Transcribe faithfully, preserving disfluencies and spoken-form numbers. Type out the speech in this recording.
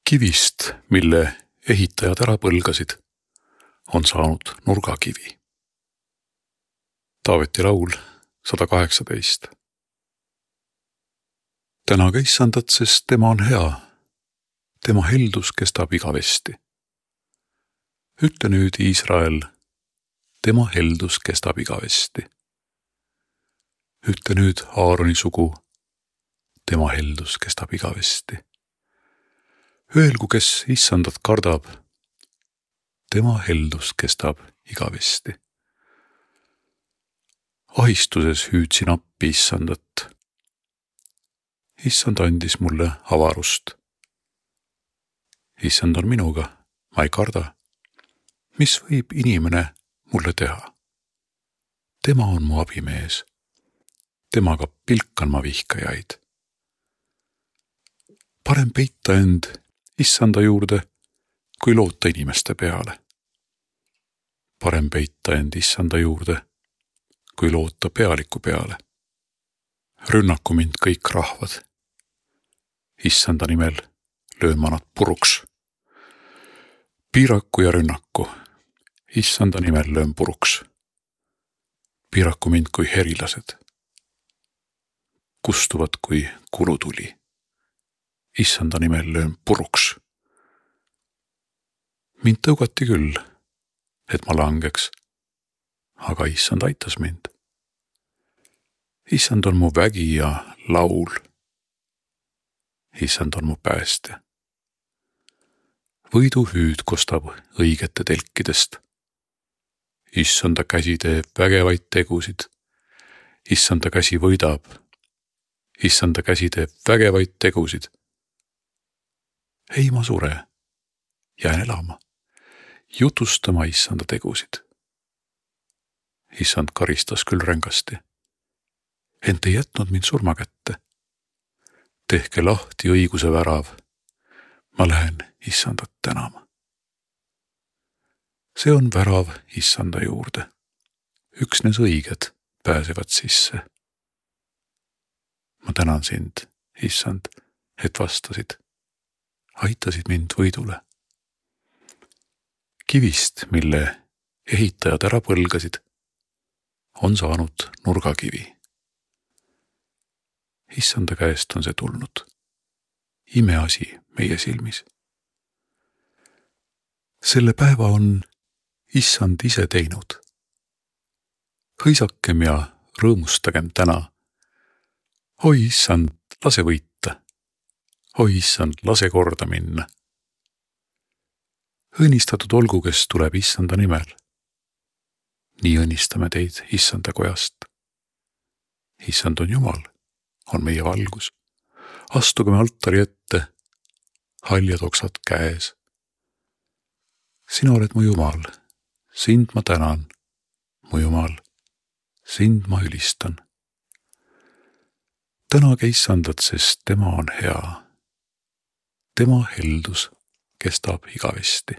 Kivist, mille ehitajad ära põlgasid, on saanud nurgakivi. Taaveti laul sada kaheksateist. Tänaga issandat, sest tema on hea. Tema heldus kestab igavesti. Ütle nüüd, Iisrael, tema heldus kestab igavesti. Ütle nüüd, Aaroni sugu, tema heldus kestab igavesti. Öelgu, kes issandat kardab, tema heldus kestab igavesti. Ahistuses hüüdsin appi issandat. Issand andis mulle avarust. Issand on minuga, ma ei karda. Mis võib inimene mulle teha? Tema on mu abimees. Temaga pilkan ma vihkajaid. Parem peita end issanda juurde, kui loota inimeste peale. Parem peita end issanda juurde, kui loota pealiku peale. Rünnaku mind kõik rahvad. Issanda nimel löön ma nad puruks. Piiraku ja rünnaku. Issanda nimel löön puruks. Piiraku mind kui herilased. Kustuvad kui kulutuli. Issanda nimel löön puruks. Mind tõugati küll, et ma langeks, aga issand aitas mind. Issand on mu vägi ja laul. Issand on mu päästja. Võiduhüüd kostab õigete telkidest. Issanda käsi teeb vägevaid tegusid. Issanda käsi võidab. Issanda käsi teeb vägevaid tegusid. Ei ma sure, jään elama, jutustama issanda tegusid. Issand karistas küll rängasti, ent ei jätnud mind surma kätte. Tehke lahti õiguse värav, ma lähen issandat tänama. See on värav issanda juurde, üksnes õiged pääsevad sisse. Ma tänan sind, issand, et vastasid. Aitasid mind võidule. Kivist, mille ehitajad ära põlgasid, on saanud nurgakivi. Issanda käest on see tulnud. Imeasi meie silmis. Selle päeva on issand ise teinud. Hõisakem ja rõõmustagem täna. Oi issand, lase võita. Oi issand, lase korda minna. Õnnistatud olgu, kes tuleb issanda nimel. Nii õnnistame teid issanda kojast. Issand on Jumal, on meie valgus. Astugeme altari ette, haljad oksad käes. Sina oled mu Jumal, sind ma tänan, mu Jumal, sind ma ülistan. Tänage issandat, sest tema on hea. Tema heldus kestab igavesti.